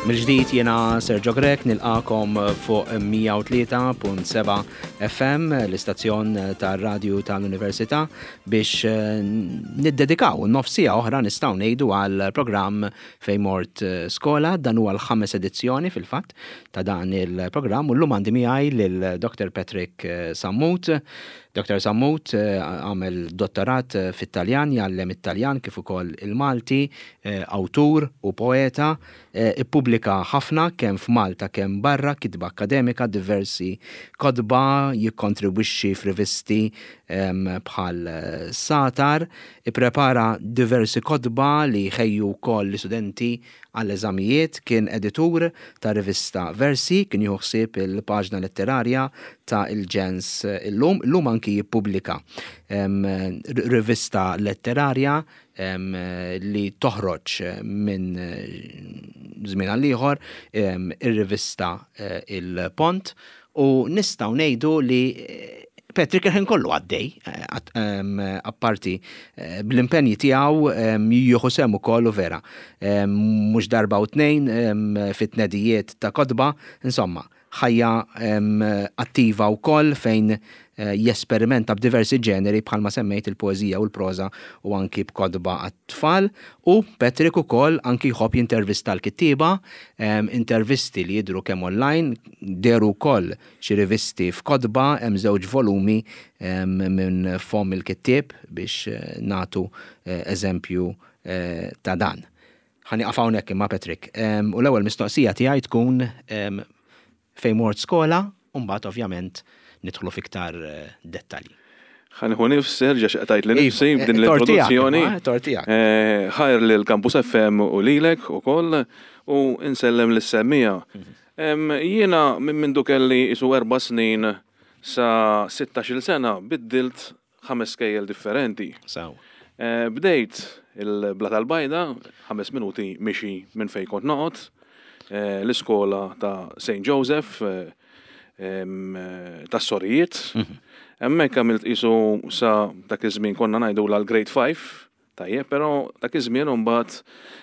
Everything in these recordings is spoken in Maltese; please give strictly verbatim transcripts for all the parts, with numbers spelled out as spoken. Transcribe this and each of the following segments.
Mill-ġdid jiena Sergio Grech nilqagħkom fuq mija u tlieta punt seba' F M, l-istazzjon tar-radju tal-Università, biex eh, niddedikaw nofs siegħa oħra, nistgħu ngħidu, għal programm Fejn Mort Skola. Dan huwa l-ħames edizzjoni fil-fatt ta' dan il-programm u llum għandi miegħi lil Doktor Patrick Sammut. Doktor Sammut eh, għamel dottorat fit-Taljan, jgħallem it-Taljan kif ukoll il-Malti, eh, awtur u poeta, ippubblika ħafna kemm f'Malta kemm barra, kitba akademika, diversi kotba, jikkontribwixxi f'rivisti bħal Satar, ipprepara diversi kotba li jħejju wkoll l-istudenti għall-eżamijiet, kien editur ta' rivista Versi, kien jieħu ħsieb il-paġna letterarja ta' Il-Ġens Illum, illum anki jippubblika rivista letterarja li toħroġ minn żmien għal ieħor, ir-rivista eh, Il-Pont, u nistgħu ngħidu li eh, Patrick il-ħin kollu għaddej, eh, apparti bl-impenji tiegħu jieħu sehem ukoll u vera. Mhux darba u tnejn fit-tnedijiet ta' kotba, insomma, ħajja attiva wkoll fejn eh, jesperimenta b'diversi ġeneri bħalma semmejt, il-poezija u l-proza u anki b'kotba għat-tfal, u Patrick ukoll anki jħobb jintervista l-kittieba, intervisti li jidru kemm online, dehru wkoll xi rivisti f'kotba, hemm żewġ volumi minn fomm il-kittieb biex eh, nagħtu eh, eżempju ta' dan. Ħa nieqaf hawnhekk imma, Patrick. U l-ewwel mistoqsija tiegħi tkun fejn mort skola, u mbagħad ovvjament nidħlu fiktar eh, dettalji. Ħa nieħu nifs, Serġa, xaqtajt li nifsi Iva, b'din eh, l-introduzzjoni. Tort tiegħek. Eh, ħajr li l-Campus F M u lilek u koll u insellem lis-semmiegħa. Mhm. Jiena minn mindu kelli isu erba' snin sa sittax-il sena biddilt ħames skejjel differenti. Sawa. Bdejt il-Blata l-Bajda, ħames minuti mixi minn fej kont noqgħod, l-iskola ta' Saint Joseph, tas-sorijiet. Mhm. Hemmhekk għamilt isu sa dak iż-żmien konna ngħidu l-grade five, tajjeb, però dak iż-żmien imbagħad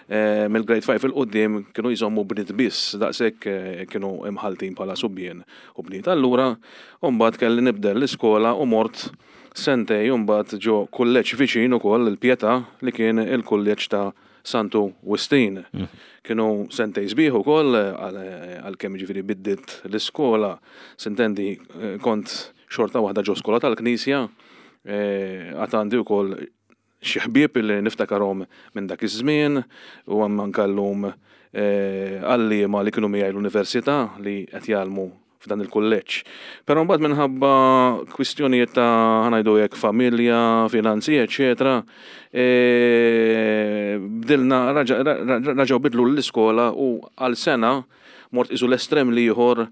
eh, mill-grade five 'il quddiem kienu jżommu bniet biss, daqshekk eh, kienu imħaltin bħala subien u bniet. Allura mbagħad kelli nibdel l-iskola u mort sentejn mbagħad ġo kulleġġ viċin ukoll il-Pietà, li kien il-kulleġġ ta' Santu Wistin. Mm. Kienu sentejn sbieħ ukoll, għalkemm ġifieri biddilt l-iskola, s'intendi, eh, kont xorta waħda ġo skola tal-Knisja, eh, għad għandi wkoll xi ħbieb li niftakarhom minn dak iż-żmien u hemm anke llum eh, għalliema li kienu miegħi l-università li qed jgħallmu f'dan il-kulleġġ. Però mbagħad minħabba kwistjonijiet ta', ħa ngħidu hekk, familja, finanzi, eċetera, e, bdilna, reġgħu bidlu l-iskola u għal sena mort isu l-estrem l-ieħor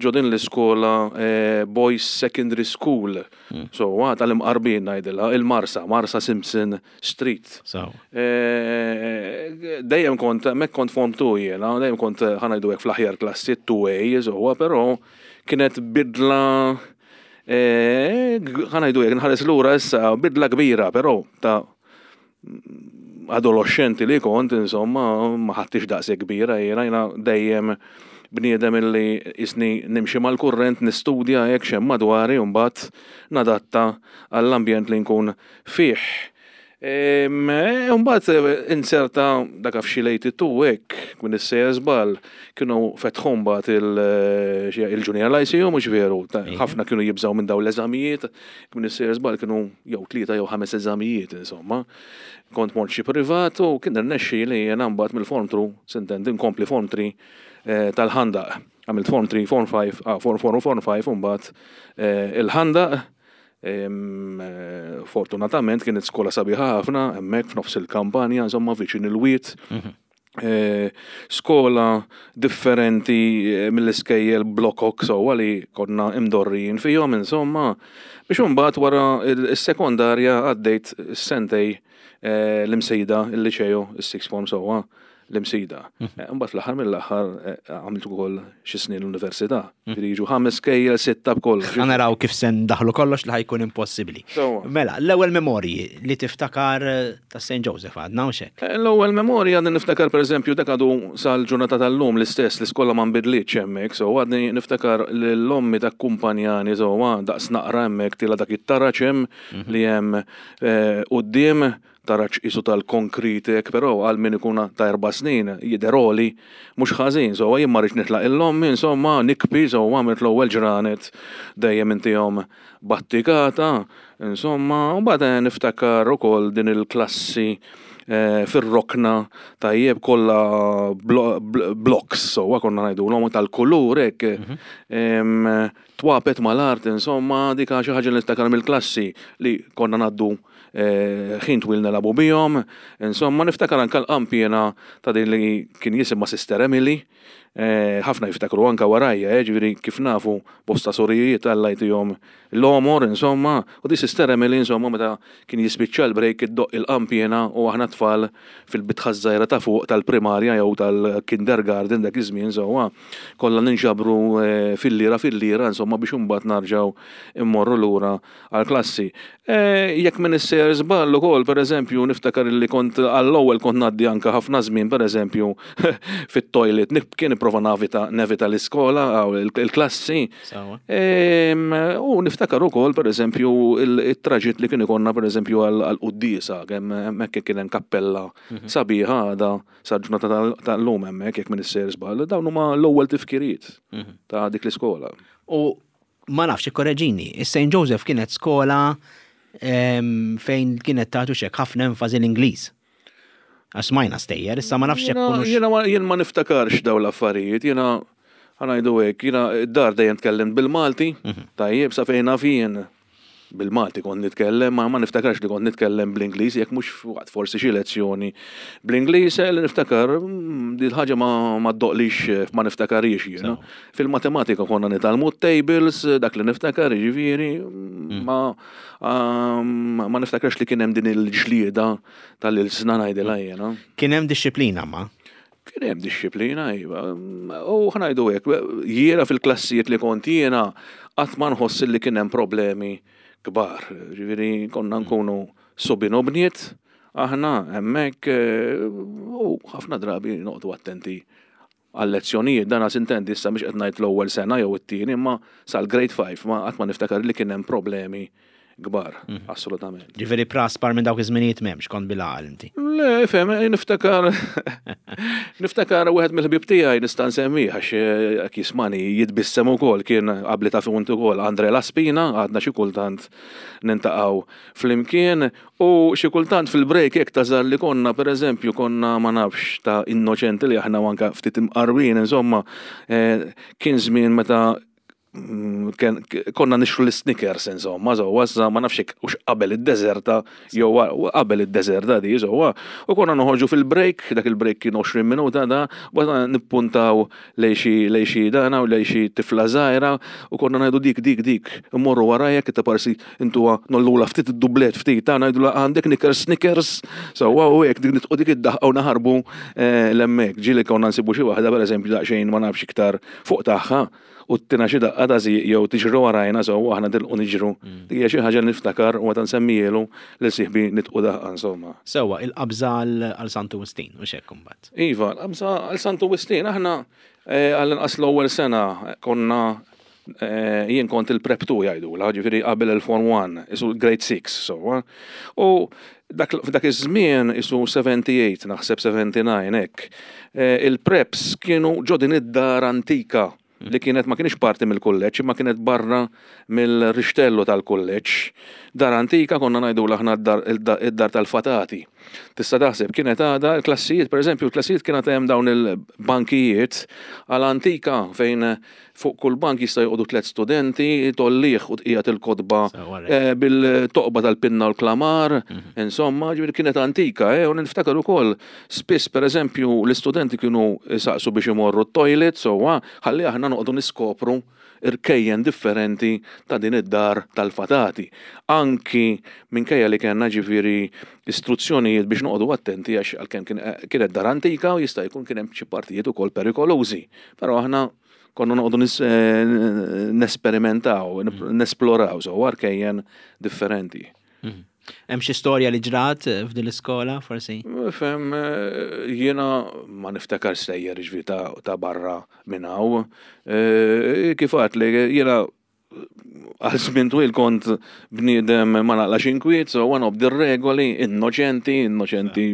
ġo din l-iskola e, Boys Secondary School. Mm. So, għad tal-imqarbin ngħidilha, il-Marsa, Marsa Simpson Street. E, dejjem kont, mek kont form two jiena, dejjem kont, ħa ngħidu hekk, fl-aħjar klassi two A, so, però kienet bidla, e, ħa ngħidu hekk, nħares lura issa, bidla kbira, però ta' adolescenti li kont, insomma, ma ħadtx daqse kbira, jiena jiena dejjem bniedem illi jisni nimxi mal-kurrent, nistudja hekk x'hemm madwari u mbagħad nadatta għall-ambjent li nkun fih. Mbagħad inserta dak f'xi lejti tu hekk, minn is-sejjer żball, kienu fetħu mbagħad il-Junior Lyceum, mhux veru? Ħafna kienu jibżgħu minn dawn l-eżamijiet, minn is-sejjer żball kienu jew tlieta jew ħames eżamijiet, insomma. Kont mort xi privat u kien irnexxi li jiena mbagħad mill-form two, s'intendi, nkompli form three eh, tal-Ħandaq. Għamilt form three, form five, ah, form four u form five u mbagħad eh, il-Ħandaq. Eh, fortunatament kienet skola sabiħa ħafna, hemmhekk f'nofs il-kampanja, insomma, viċin il-wied. Mhm. Skola differenti mill-iskejjel blokok sewwa li konna imdorrijin fihom, insomma, biex imbagħad wara il-sekondarja għaddejt sentejn l-Imsida, il-liċejo, il-sixth form sewwa. l-Imsida. Eh, Mbagħad fl-aħħar mill-aħħar eh, għamilt ukoll xi snin l-università. Ġifieri jiġu ħames skejjel, sitta b'kollox. Ħa naraw kif se ndaħlu kollox li ħa jkun impossibbli. Sewwa. Mela, l-ewwel memorji li tiftakar eh, ta' Saint Joseph għadna u xek. Eh, L-ewwel memorja għadni niftakar, pereżempju, dak għadu sal-ġurnata tal-lum l-istess, l-iskola ma nbidlitx hemmhekk, so għadni niftakar l-ommi takkumpanjani, so daqs naqra hemmhekk tila dak it-taraġ hemm li hemm eh, quddiem, taraġ isu tal-konkrit hekk, però għal min ikun ta' erba' snin jidher għoli mhux ħażin, so jien ma rridx nitlaq l-ommi, insomma, nibki, so għamilt l-ewwel ġranet dejjem intihom battikata, insomma, u mbagħad niftakar ukoll din il-klassi eh, fir-rokna, tajjeb, kollha blo- bl- blocks, so konna ngħidu l tal-kulur hekk, em, twapet mal-art, insomma, dika xi ħaġa li niftakar mill-klassi li konna ngħaddu eh, ħin twil nilagħbu bihom, insomma, niftakar anka l-qampjena ta' din li kien jisimha Sister Emily, eh, ħafna jiftakru anka warajja, eh, ġifieri kif nafu bosta sorijiet Alla jtihom l-għomor, insomma, u di Sister Emily, insomma, meta kien jispiċċa l-break iddoqq il-qampjena u aħna tfal fil-bitħa żgħira ta' fuq tal-primarja jew tal-kindergarten dak iż-żmien, insomma, kollha ninġabru eh, fil-lira fil-lira, insomma, biex imbagħad narġgħu immorru lura għall-klassi. Eh, Jekk m'iniex sejjer żball ukoll, pereżempju, niftakar li kont għall-ewwel kont ngħaddi anka ħafna żmien, pereżempju, fit-toilet, kien nipprova navita nevita l-iskola aw il-klassi. Sewwa. Em, U niftakar ukoll, pereżempju, il-traġitt li kien ikollna, pereżempju, għal-quddiesa, kemm hemmhekk kien hemm kappella sabiħa għada sal-ġurnata tal- tal-lum hemmhekk, jekk m'iniex sejjer żball, dawn huma l-ewwel tifkiriet ta' dik l-iskola. U ma nafx, korreġini, is-Saint Joseph kienet skola em, fejn kienet tagħtu xek ħafna enfasi l-Ingliż. Għax smajna stejjer, issa ma nafx jekk Jiena- kunux. Jiena ma- jien ma niftakarx daw l-affarijiet, jiena ħa ngħidu hekk, jiena d-dar dejjem tkellimt bil-Malti, tajjeb, sa fejn naf jien bil-Malti kont nitkellem, ma ma niftakarx li kont nitkellem bl-Ingliż, jekk mhux waqt forsi xi lezzjoni bl-Ingliż, eh, li niftakar, mm, di l-ħaġa ma ma ddoqlix, eh, ma niftakarix jiena. Fil-matematika konna nitgħallmu tables, dak li niftakar, ġifieri, mm, ma um, ma niftakarx li kien hemm din il-ġlieda tal-ilsna ngħidilha jiena. Kien hemm dixxiplina ma. Kien hemm dixxiplina, iva. U ħa ngħidu hekk, jiena fil-klassijiet li kont jiena qatt ma nħoss li kien hemm problemi kbar. Ġifieri konna nkunu subien u bniet, aħna hemmhekk eh, u ħafna drabi noqogħdu attenti għal-lezzjonijiet, dan s'intendi issa mhux qed ngħid l-ewwel sena jew it-tieni, imma sal-grade five ma qatt ma niftakar li kien hemm problemi kbar, assolutament. Ġifieri praspar minn dawk iż-żminijiet m'hemmx, kont bil-għaqal inti. Le, fem, niftakar, niftakar wieħed mill-ħbib tiegħi nista' nsemmih għax eh, jekk jismani jitbissem ukoll, kien qabli ta' funt ukoll Andre Laspina, għadna xi kultant nintaqgħu flimkien u xi kultant fil-break hekk tażar li konna, pereżempju, konna, ma nafx, ta' innoċenti li aħna u anka ftit imqarwin, insomma, eh, kien żmien meta mm, ken- konna nixtru l-Snickers, insomma, so, wazza, ma nafx hekk hux qabel id-deżerta, jew wa- qabel id-deżerta di, so, u konna noħorġu fil-break, dak il-break kien għoxrin minuta da, u għadna nippuntaw lej xi lej xi dana u lej xi tifla żgħira, u konna ngħidu dik, dik, dik, immorru warajja, kita parsi intuha nollula ftit id-dublet ftit, ta' ngħidu għandek Snickers, Snickers, so, u hekk dik nitqu dik id-daħqa u naħarbu eh, l-hemmhekk, ġieli konna nsibu xi waħda, pereżempju, daqsxejn, ma nafx, iktar fuq tagħha, u ttina xi daqqa ta' żieq jew tiġru warajna, so aħna tilqu niġru. Dik hija xi ħaġa li niftakar u meta nsemmielu lil sieħbi nitqu daqqa, insomma. Sewwa, il-qabża għal għal Santu Wistin u xek imbagħad. Iva, l-qabża għal Santu Wistin, aħna eh, għall-inqas l-ewwel sena konna eh, jien kont il-prep two jgħidula, ġifieri qabel il-form one, isu grade six, so. U dak f'dak iż-żmien, isu sebgħa u sebgħin, naħseb sebgħa u sebgħin hekk, eh, il-preps kienu ġo din id-dar antika li kienet ma kienx parti mill-kulleġġ, imma kienet barra mill-rixtellu tal-kulleġġ. Dar antika, konna ngħidu aħna id-dar tal-fatati. Tista' taħseb kienet għada l-klassijiet, per eżempju, l-klassijiet kienet hemm dawn il-bankijiet għal-antika fejn fuq kull bank jista' joqogħdu tliet studenti, tollih u tqiegħed il-kotba eh, bil-toqba tal-pinna u l-klamar, insomma, ġifieri kienet antika, eh, u niftakar ukoll spiss, per eżempju, l-istudenti kienu saqsu biex imorru t-toilet, so ħalli aħna noqogħdu niskopru irkejjen differenti ta' din id-dar tal-fatati. Anki minkejja li kellna ġifieri istruzzjonijiet biex noqogħdu attenti għax għalkemm kienet dar antika u jista' jkun kien hemm xi partijiet ukoll perikolużi. Però aħna konna noqogħdu nesperimentaw, nesploraw, so rkejjen differenti. Mhm. Hemm xi storja li ġrat f'din l-iskola forsi? Fem, jiena ma niftakar stejjer ġifieri ta' barra minn hawn. Eh, kif għedt li jiena għal żmien twil kont bniedem ma naqlax inkwiet, so għan nobdi regoli, innoċenti, innoċenti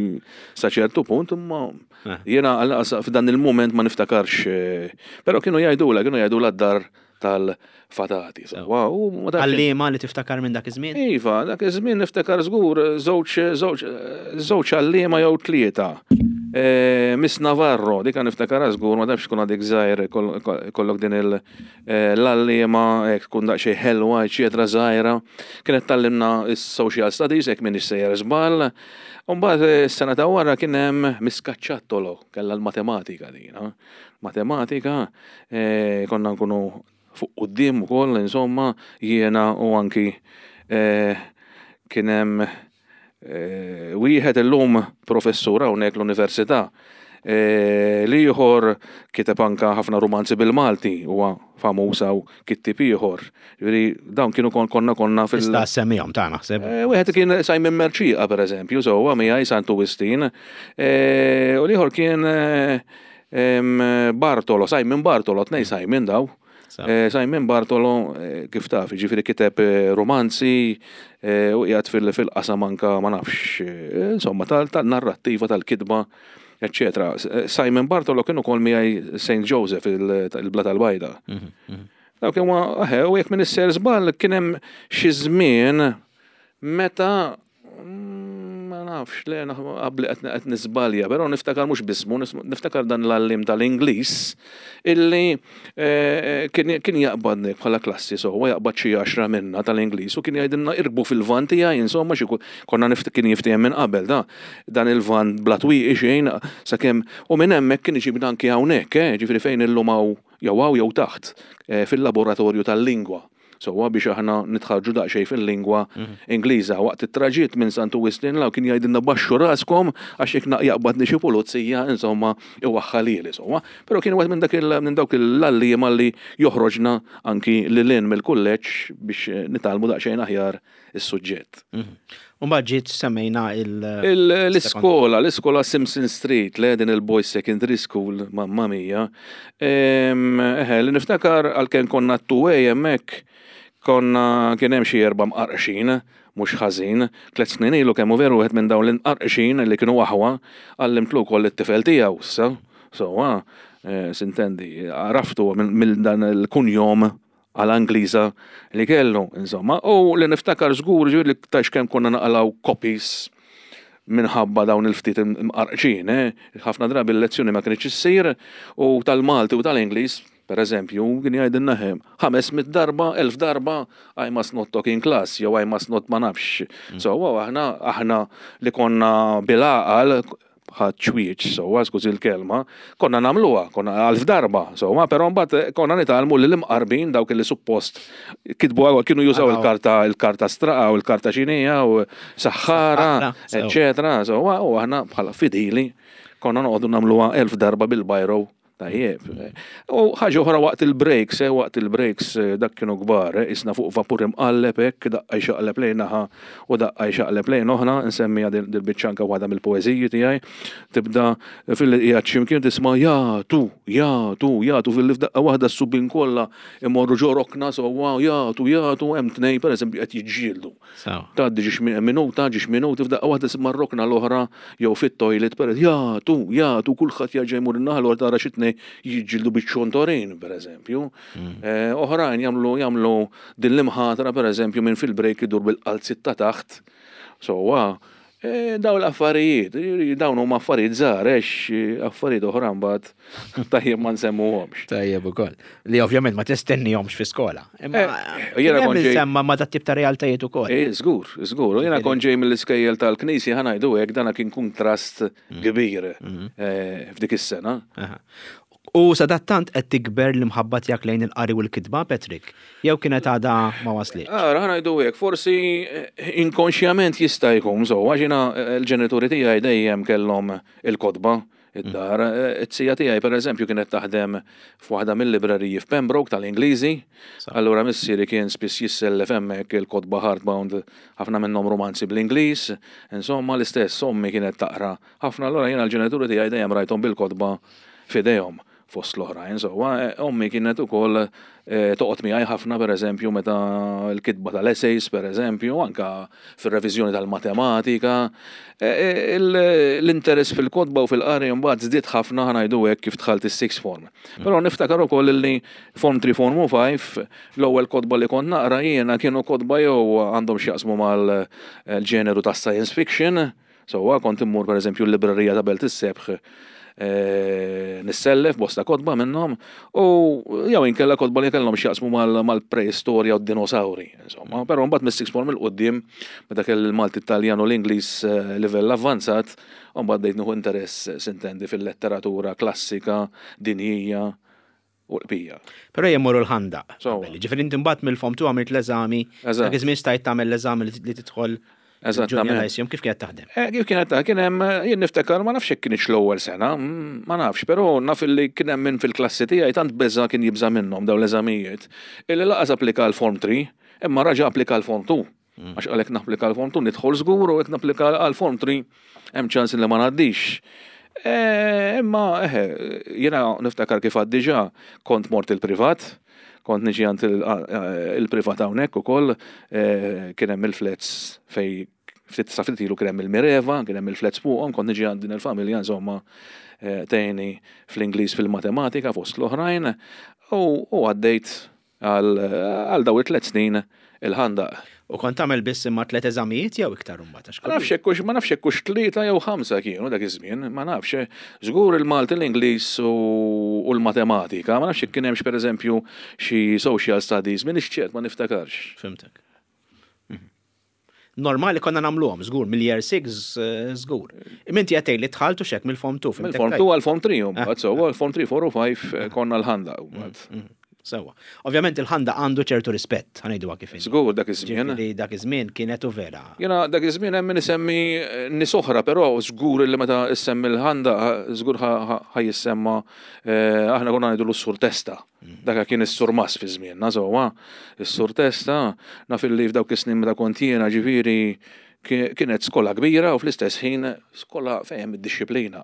sa ċertu punt, imma eh. jiena f'dan il-moment ma niftakarx. Eh, però kienu jgħidula, kienu jgħidula d-dar tal-fatati. Għalliema li tiftakar minn dak iż-żmien? Iva, dak iż-żmien niftakar żgur żewġ żewġ għalliema jew tlieta. E, Miss Navarro, dik niftakar żgur, ma nafx tkun għadek żgħir kollok din l-għalliema, tkun daqsxejn ħelwa, eċetera żgħira. Kienet tgħallimna is-social studies, jekk m'iniex sejjer żball. Umbagħad s-sena ta' wara kien hemm Miss Cacciattolo, kellha l-matematika din. Matematika, e, konna nkunu fuq quddiem ukoll, insomma, jiena u anki eh, kien hemm eh, wieħed illum professur hawnhekk l-università. Eh, l-ieħor kiteb anka ħafna romanzi bil-Malti, huwa famuż u kittib ieħor. Ġifieri dawn kienu konna konna fil- Tista' semmihom ta' naħseb. Wieħed kien Simon Merċieqa pereżempju, so huwa miegħi Santu Wistin. U l-ieħor kien Bartolo, Simon Bartolo, tnej Simon daw. Eh, Simon Bartolo, eh, kif taf, ġifieri kiteb eh, romanzi u qiegħed fil-qasam anka ma nafx, insomma, tal-narrattiva, tal-kitba, eccetera. Simon Bartolo kienu kol miegħi Saint Joseph il-Blata l-Bajda. Mhm, mhm. Dawk kien u jekk m'iniex sejjer żball kien hemm xi żmien meta ma nafx, le, qabli qed niżbalja, però niftakar mhux bismu, niftakar dan l-għalliem tal-Ingliż illi eh, kien jaqbadni bħala klassi, so huwa jaqbad xi għaxra minna tal-Ingliż u kien jgħidilna irkbu fil-van tiegħi, insomma xi konna kien jiftiehem minn qabel da dan il-van bla twieqi xejn sakemm u minn hemmhekk kien iġibna anki hawnhekk, eh, ġifieri fejn illum hawn jew hawn jew taħt eh, fil-laboratorju tal-lingwa. So biex aħna nitħarġu daqsxejn fil-lingwa mhm. Ingliża. Waqt it-traġitt minn Santu Wistin law kien jgħidilna baxxu raskom għax jekk jaqbadni xi pulizija, insomma, iwaħħalili, insomma. Però kien wieħed minn dak minn dawk l-għalliema li joħroġna anki lil hinn mill-kulleġġ biex nitgħallmu daqsxejn aħjar is-suġġett. Mhm. Umbagħad ġiet semmejna il- L-iskola, l-iskola Simpson Street, le din il-Boys Secondary School, mamma mia. Eħe, li niftakar għalkemm konna t-two hemmhekk, konna kien hemm xi erba' mqarqxin, mhux ħażin, tliet snin ilu kemm hu veru wieħed minn dawn l-imqarqxin li kienu aħwa għallimtlu wkoll it-tifel tiegħu issa. So, eh, sintendi, għaraftu minn dan il-kunjom għal Angliża li kellu, insomma. U li niftakar żgur ġifieri li tax kemm konna naqalaw copies minħabba dawn il-ftit imqarqxin, eh? Ħafna drabi l-lezzjoni ma kienx issir u tal-Malti u tal-Ingliż, per eżempju, kien jgħidilna hemm ħames mit darba, elf darba, "I must not talk in class", jew "I must not" ma nafx. Mm. So, aħna aħna li konna bil-għaqal ħadd ċwieċ, so, skużi l-kelma, konna nagħmluha, konna elf darba, so, ma però mbagħad konna nitgħallmu li l-imqarbin dawk li suppost kitbu kienu jużaw il-karta il-karta straqa u l-karta xinija u saħħara, eccetera. So, u aħna bħala fidili konna noqogħdu nagħmluha elf darba bil-biro. Tajjeb. U ħaġa oħra waqt il-breaks, eh, waqt il-breaks eh, dak kienu kbar, eh, isna fuq vapur imqalleb hekk, daqqa jxaqleb lejn naħa u daqqa jxaqleb lejn oħra, nsemmiha dil-biċċa anke waħda mill-poeżiji tiegħi, tibda fil qiegħed x'imkien tisma' jagħtu, jagħtu, jagħtu fil f'daqqa waħda s-subien kollha imorru ġo rokna sewwa jagħtu, jagħtu hemm tnejn pereżempju qed jiġġieldu. Tgħaddi ġiex minuta, ġiex minuti f'daqqa waħda tisma' r-rokna l-oħra jew fit-toilet per jagħtu, jagħtu kulħadd jerġa' jmur in-naħa l tara xi tnejn jiġġieldu biċ-ċontorin, per eżempju. Mm. Eh, oħrajn jagħmlu jagħmlu din l-imħatra, per eżempju, minn fil-break idur bil-qalzit ta' taħt. So, eh, daw l-affarijiet, dawn huma affarijiet żgħar, għax affarijiet oħra mbagħad tajjeb ma nsemmuhomx. Tajjeb ukoll. Li ovvjament ma tistennihomx fi skola. Imma eh, jiena kont ġej semma ma dat tip ta' realtajiet ukoll. Eh, żgur, żgur. Jiena kont ġej mill-iskejjel tal-Knisja ħa ngħidu hekk dana kien kuntrast mm. kbir mm. f'dik is-sena. U sadattant qed tikber l-imħabba tiegħek lejn il-qari u l-kitba, Patrick? Jew kienet għadha ma waslitx? Ara, ħa ngħidu hekk, forsi eh, inkonxjament jista' jkun, so, għax jiena eh, l-ġenituri tiegħi dejjem kellhom il-kotba id-dar. Eh, It-sija tiegħi pereżempju kienet taħdem f'waħda mill-libreriji f'Pembroke tal-Ingliżi. Allura missieri kien spiss jissellef hemmhekk il-kotba hardbound, ħafna minnhom romanzi bl-Ingliż. Insomma, l-istess ommi kienet taqra ħafna, allura jiena l-ġenituri tiegħi dejjem rajthom bil-kotba f'idejhom fost l-oħrajn. So, eh, ommi kienet ukoll eh, toqgħod miegħi ħafna, pereżempju, meta l-kitba tal-essays, pereżempju, anka fir-reviżjoni tal-matematika. Eh, il- L-interess fil-kotba u fil-qari mbagħad żdied ħafna, ħa ngħidu hekk, kif dħalt is-sixth form. Però niftakar ukoll li form three, form five, l-ewwel kotba li kont naqra jiena kienu kotba jew għandhom x'jaqsmu mal-ġeneru tas science fiction. So, kont immur pereżempju l-librerija ta' Belt is-Sebħ eh, nissellef bosta kotba minnhom u jew inkella kotba li kellhom x'jaqsmu mal- mal-preistorja u d-dinosauri, insomma. Però mbagħad mis-sixth form 'il quddiem, meta kelli il-Malti, Italjan u l-Ingliż eh, livell avvanzat, u mbagħad bdejt nieħu interess, sintendi, fil-letteratura klassika, dinjija u l-bqija. Però jemmorru l-Ħandaq. So. Ġifieri inti mbagħad mill-form two għamilt l-eżami. Eżatt. Dak iż-żmien stajt tagħmel l-eżami li li tidħol Eżattament. Junior Lyceum, kif kienet taħdem? Eh, kif kienet ta' kien hemm, jien niftakar, ma nafx jekk kienx l-ewwel sena, mm, ma nafx, però naf li kien hemm min fil-klassi tiegħi tant beża, kien jibża minnhom dawn l-eżamijiet, illi lanqas applika l-form three, imma raġa applika l-form two. Għax għalhekk napplika l-form two nidħol żgur u jekk napplika għal-form three hemm ċans li ma ngħaddix. Eh, Imma eħe, jiena niftakar kif għad diġà kont mort il-privat, kont niġi għand il- il-privat hawnhekk ukoll, eh, kien hemm il-flats fej ftit sa ftit ilu kien hemm il-Mireva, kien hemm il-flats fuqhom, kont niġi għand din il-familja, insomma, eh, tgħinni fl-Ingliż, fil-matematika fost l-oħrajn u u għaddejt għal għal daw it-tliet snin il-Ħandaq. U kont tagħmel biss imma tliet eżamijiet jew iktar imbagħad? Għax Ma nafx hekk hux ma nafx hekk hux tlieta jew ħamsa kienu dak iż-żmien, ma nafx. Żgur il-Malti, l-Ingliż u u l-matematika, ma nafx jekk kien hemmx pereżempju xi social studies, m'iniex ċert, ma niftakarx. Fhimtek. Mhm. Normali konna nagħmluhom, żgur, mill-year six żgur. Imma inti għedt li dħaltu xek mill-form two. Mill-form two għal form three, mbagħad so għal form three, four u five konna l-Ħandaq mbagħad. Sewa. Ovvjament il-Ħandaq għandu ċertu rispett, ħa ngħidu kif inhi. Żgur dak iż-żmien. Ġifieri dak iż-żmien kienet u vera. Jiena dak iż-żmien hemm min isemmi eh, nies oħra, però żgur li meta issemmi l-Ħandaq żgur ħa jissemma eh, aħna konna ngħidu s-Sur Testa. Dak kien is-surmas fi żmienna, sewwa. Is-Sur Testa, naf illi f'dawk is-snin meta kont jiena, ġifieri ki- kienet skola kbira u fl-istess ħin skola fejn hemm id-dixxiplina.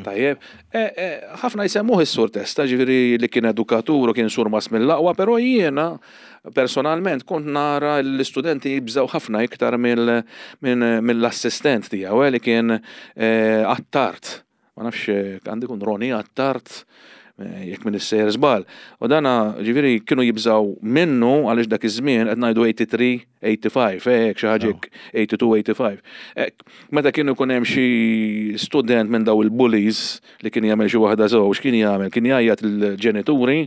Tajjeb, e, e, ħafna jsemmuh is-Sur Testa, ġifieri li kien edukatur u kien surmas mill-aqwa, però jiena personalment kont nara l-istudenti jibżaw ħafna iktar mill- minn- mill-assistent tiegħu eh, li kien eh, Attard. Ma nafx eh, għandi kun Roni Attard, eh, jekk m'iniex sejjer żball. U dana ġifieri kienu jibżaw minnu għaliex dak iż-żmien qed ngħidu tmienja u tmenin, tmienja u ħamsa u tmenin, hekk xi ħaġa hekk, tmienja u tnejn, tmienja u ħamsa. Hekk, meta kienu jkun hemm xi student minn daw il-bullies li kien jagħmel xi waħda żewġ, kien jagħmel, kien jgħajjat il-ġenituri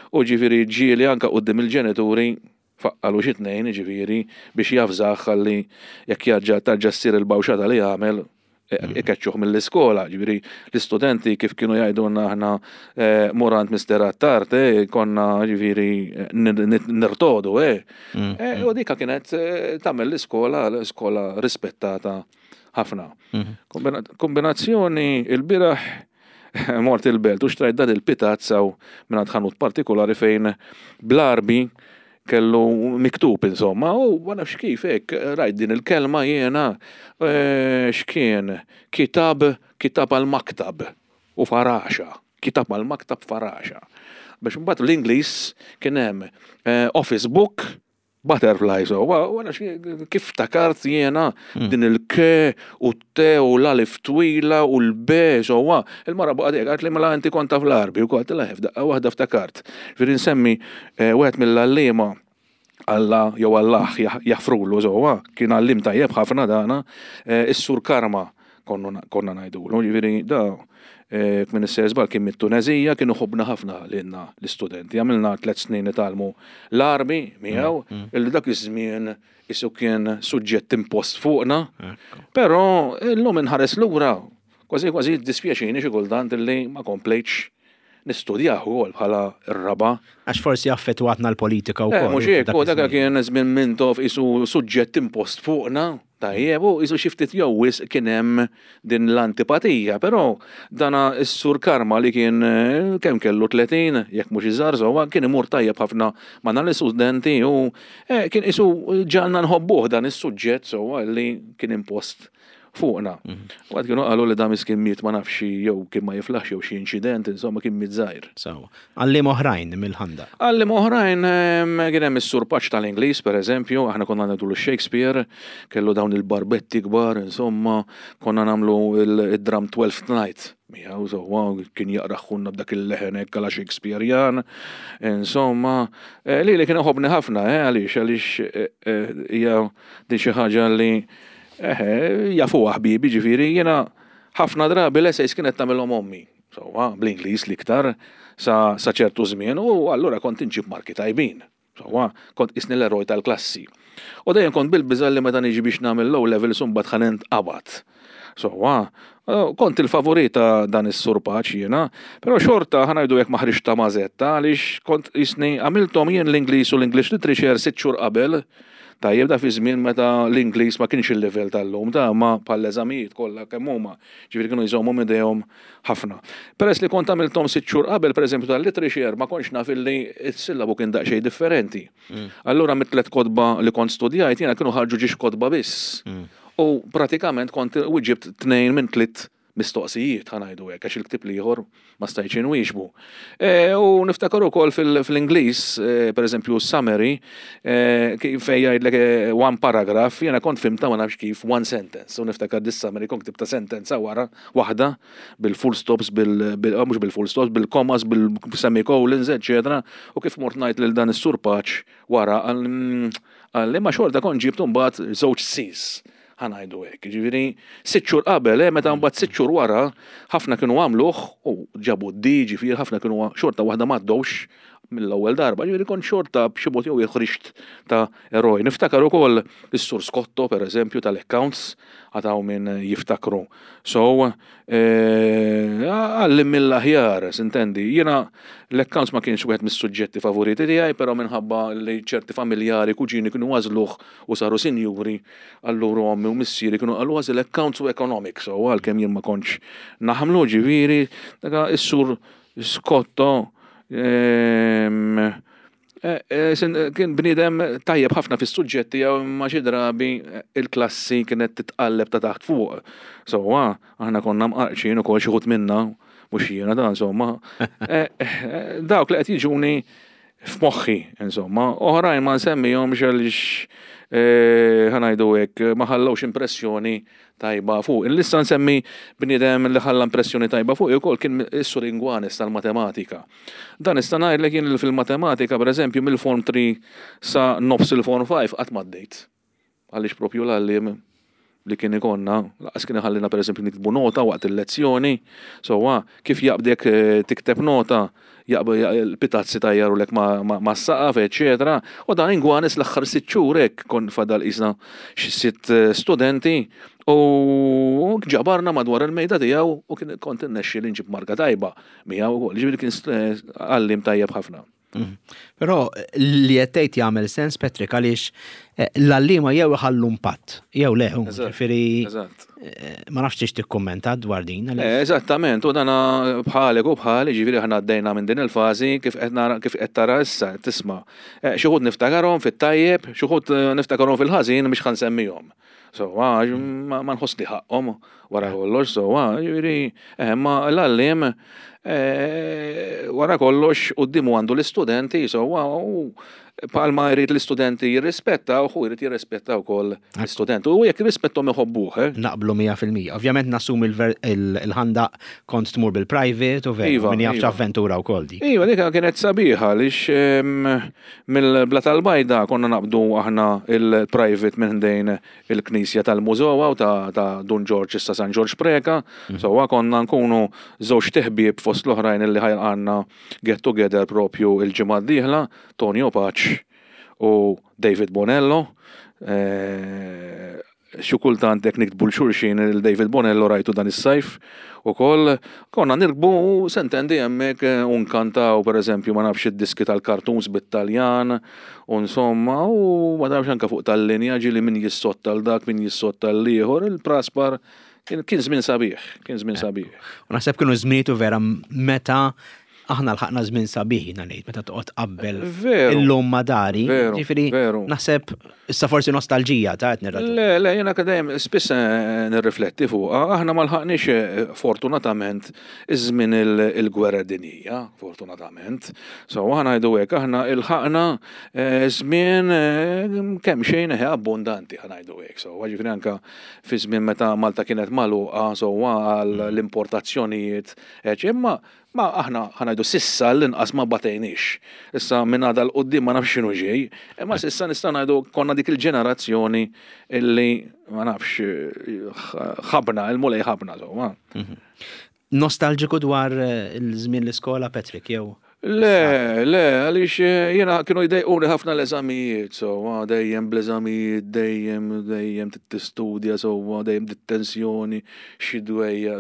u ġifieri ġieli anka quddiem il-ġenituri faqqalu xi tnejn, ġifieri biex javżah ħalli jekk jarġa' tarġa' ssir il-bawxata li jagħmel ikeċċuh mill-iskola, ġifieri l-istudenti, kif kienu jgħidulna aħna, eh, mur għand Mister Attard, eh, konna ġifieri nir- nir- nirtodu, eh. Eh, U dika kienet eh, tagħmel l-iskola, l-iskola rispettata ħafna. Kombina- Kombinazzjoni il-bieraħ mort il-Belt u xtrajt dan il-pitazz u minn ħanut partikolari fejn bl-Għarbi kellu miktub, insomma, u ma nafx kif hekk rajt din il-kelma jiena, eh, x'kien kitab kitab għal-maktab u faraxa, kitab għal-maktab faraxa. Biex mbagħad l-Ingliż kien hemm eh, office book butterflies, u u nafx kif ftakart jiena din il-K u t u l-alif twila u l-B, so il-mara baqgħet hekk, għalt li mela inti kont taf l-Għarbi u kont la f'daqqa waħda ftakart. Ġifieri nsemmi eh, wieħed mill-għalliema, Alla jew Allah jaħ- jaħfrulu, sewwa, kien għallim tajjeb ħafna dana, eh, is-Sur Karma konna konna ngħidulu, ġifieri da eh, minn is żball kien mit-Tunezija, kienu ħobna ħafna lilna l-istudenti. Għamilna tliet snin nitgħallmu l-Għarbi miegħu, illi dak iż-żmien isu kien suġġett impost fuqna. Però illum inħares lura, kważi kważi dispjaċini xi kultant illi ma komplejtx Nistudjah ukoll bħala r-raba. Għax forsi affettwatna l-politika Eh, wkoll. Mhux hekk, dak u dak iż-żmien. kien żmien Mintoff qisu suġġett impost fuqna, tajjeb, u qisu xi ftit jew wisq kien hemm din l-antipatija, però dana s-sur Karma li kien eh, kemm kellu tletin, jekk mhux iżgħar sewwa, kien imur tajjeb ħafna ma' dan l-istudenti u eh, kien qisu ġagħalna nħobbuh dan is-suġġett sewwa li kien impost fuqna. U għad kienu qalu li da miskin miet, ma nafx, jew kien ma jiflaħx jew xi inċident, insomma, kien miet żgħir. Sewwa. Għalliem oħrajn mill-Ħandaq. Għalliem oħrajn, em, kien hemm is-Sur Paċ tal-Ingliż, per eżempju, aħna konna ngħidu Shakespeare, kellu dawn il-barbetti kbar, insomma, konna nagħmlu il-dram Twelfth Night. Miegħu sewwa, kien jaqraħunna b'dak il-leħen hekk għala Shakespearean, insomma, eh, li li kien iħobbni ħafna, eh, għaliex għaliex eh, eh, hija din xi ħaġa li eh, jafuha ħbibi, ġifieri jiena ħafna drabi l-essays kienet tagħmilhom ommi. Sewwa, bl-Ingliż l-iktar sa, sa ċertu żmien u allura kont inġib marki tajbin. Sewwa, kont qisni l-eroj tal-klassi. U dejjem kont bil-biża' li meta niġi biex nagħmel low level imbagħad ħa ninqabad. Sewwa, eh, kont il-favorit ta' dan is-Sur Paċ jiena, però xorta, ħa ngħidu hekk, ma ħriġt ta' mażetta għaliex kont qisni għamilthom jien l-Ingliż u l-English Literature sitt xhur qabel. Tajjeb, da fi żmien meta l-Ingliż ma kienx il-level tal-lum, ta' ma bħall-eżamijiet kollha kemm huma, ġifieri kienu jżommu idejhom ħafna. Peress li kont għamilthom sitt xhur qabel, pereżempju tal-literature, ma kontx naf illi s-sillabu kien daqsxejn differenti. Allura mit-tliet kotba li kont studjajt jiena kienu ħarġu żewġ kotba biss. U pratikament kont wieġibt tnejn minn tliet mistoqsijiet, ħa ngħidu hekk, għax il-ktieb l-ieħor ma stajtx inwieġbu. E, u niftakar ukoll fil- fil-Ingliż, e, per eżempju, summary, e, kif fejn jgħidlek e, one paragraph, jiena kont fhimtha, ma nafx kif, one sentence. U niftakar dis-summary kont ktibta sentenza wara waħda bil-full stops, bil, bil, ah, mhux bil-full stops, bil-commas, bil-semicolons, eccetera. U kif mort ngħid lil dan is-Sur Paċ wara, għal għal ma xorta kont ġibtu mbagħad żewġ Cs, ħa ngħidu hekk. Ġifieri, sitt xhur qabel, eh, meta mbagħad sitt xhur wara, ħafna kienu għamluh u ġabu D, ġifieri ħafna kienu xorta waħda m'għaddewx mill-ewwel darba, ġifieri kont xorta b'xi mod jew ħriġt ta' eroj. Niftakar ukoll is-Sur Scotto, per eżempju, tal-accounts, għataw minn jiftakru. So, eh, għallim mill-aħjar, sintendi. Jiena l-accounts ma kienx wieħed mis-suġġetti favoriti tiegħi, però minħabba li ċerti familjari, kuġini kienu għażluh u saru sinjuri, allura ommi u missieri kienu qalu għażel accounts u economics, so għalkemm jien ma kontx naħmlu, ġifieri, dak is-Sur Scotto ehm, eh, eh, sin- kien bniedem tajjeb ħafna fis-suġġetti jew ma xi drabi eh, il-klassi kienet titqalleb ta' taħt fuq. So, aħna konna mqarqxin ukoll xi wħud minna, mhux jiena da, insomma. Eh, eh, Dawk li qed jiġuni f'moħħi, insomma, oħrajn ma nsemmihomx għaliex eh, ħa ngħidu hekk ma ħallewx impressjoni tajba fuq. Il-lista nsemmi bniedem li ħalla impressjoni tajba fuq ukoll kien is-Sur Ingwanes tal-matematika. Dan nista' ngħidlek jien li fil-matematika, pereżempju, mill-Form tlieta sa nofs il-Form ħamsa qatt m'għaddejt. Għaliex propju l-għalliem li kien ikollna, lanqas kien iħallina, per eżempju, niktbu nota waqt il-lezzjoni, so kif jaqbdek eh, tikteb nota, jaqb il-pitazzi tajjarulek ma, ma, ma s-saqaf, eccetera. U dan Ingwanes l-aħħar sitt xhur hekk kon fadal qisna xi sitt eh, studenti u ġabarna madwar il-mejda tiegħu u kien kont innexxi li nġib marka tajba miegħu ukoll. Ġifieri kien eh, għalliem tajjeb ħafna. Mhm. Però li qed tgħid jagħmel sens, Patrick, għaliex eh, l-għalliema jew iħallu impatt jew le, Eżatt, ġifieri Eżatt. eh, ma nafx tix tikkummenta dwar din. għaliex- Eh, Eżattament, u dana bħalek u bħali, ġifieri ħana għaddejna minn din il-fażi kif qed nara, kif qed tara issa, tisma'. Eh, Xi wħud niftakarhom fit-tajjeb, xi wħud eh, niftakarhom fil-ħażin biex ħa nsemmihom. So, ma, ma nħoss li ħaqhom wara kollox, so, ġifieri, eh, ma l-għalliem eh, wara kollox quddiemu għandu l-istudenti, so, u palma jrid l-istudenti jirrispetta, u jrid jirrispetta wkoll l-istudenti. U jekk jirrispettom iħobbuh, eh? Naqblu mija fil-mija. Ovvjament nassumi il-Ħandaq kont tmur bil-private u veru, Iva, min jaf iva. avventura u kol dik. Iva, dik kienet sabiħa għaliex em, mill-Bla tal-Bajda konna naqbdu aħna il-private minn ħdejn il-Knisja tal-Mużowa u ta', ta' Dun Ġorġ, issa San Ġorġ Preka. So konna nkunu żewġ ħbieb fost l-oħrajn illi ħajqanna get together propju il-ġimgħa d-dieħla, Tonio Paċ u David Bonello. Eh, Xi kultant hekk niktbu 'l xulxin, il-David Bonello rajtu dan is-sajf ukoll, konna nirkbu sentendi hemmhekk u nkantaw, pereżempju, ma nafx, id-diski tal-cartoons bit-Taljan u insomma, u ma nafx, anke fuq tal-linja ġieli min jissotta 'l dak, min jissotta l-ieħor, il-praspar kien kien żmien sabiħ, kien żmien sabiħ. U naħseb kienu żmietu vera meta aħna lħaqna żmien sabiħ, jiena ngħid, meta toqgħod qabel Veru. illum ma' dari. Veru, Ġifieri veru. naħseb issa forsi nostalġija ta' qed nirraġun. Le, le, jena dejjem spiss eh, nirrifletti fuq. Aħna ma lħaqniex eh, fortunatament iż-żmien il- il-gwerra dinjija, fortunatament. So aħna ngħidu hekk, aħna ilħaqna eh, żmien eh, kemm xejn eh, abbondanti, ħa ngħidu hekk. So ġifieri anka fi żmien meta Malta kienet magħluqa, so għal l-importazzjonijiet, eh, imma ma aħna, ħa ngħidu, s'issa l-inqas ma batejniex. Issa minn għada 'l quddiem ma nafx x'inhu ġej, imma s'issa nista' ngħidu konna dik il-ġenerazzjoni illi, ma nafx, ħabna, il-Mulej ħabna, so. Nostalġiku dwar eh, il-żmien l-iskola, Patrick, jew? Le, le, għaliex eh, jena kienu jdejquni ħafna l-eżamijiet, so, dejjem bl-eżamijiet, dejjem, dejjem tistudja, so, dejjem dit-tensjoni, xi dwejja.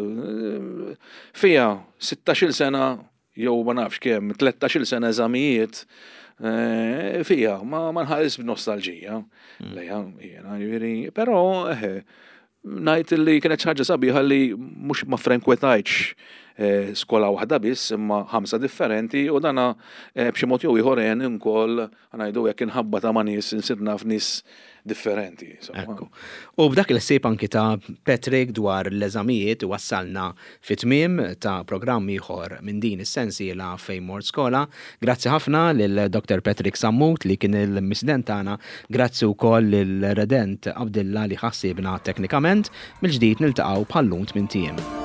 Fija, sittax-il sena, jew ma nafx kemm, tlettax-il sena eżamijiet, eh, fija, ma ma nħares b'nostalġija. Lejha, jena, ġifieri, però, eh, ngħid li kienet xi ħaġa sabiħa li mhux ma frenkwetajtx eh, skola waħda biss, imma ħamsa differenti, u dana eh, b'xi mod jew ieħor għen ukoll, ngħidu hekk, inħabba ta' ma' nies, insir naf nies differenti. So, Ekku. U b'dak il-ħsieb anki ta' Patrick dwar l-eżamijiet wassalna fit-tmiem ta' programm ieħor minn din is-sensiela Fejn Mort Skola. Grazzi ħafna lil Doktor Patrick Sammut li kien il-mistieden tagħna. Grazzi wkoll lil Redent Abdilla li ħassibna teknikament. Mill-ġdid niltaqgħu bħal-lum tmint ijiem.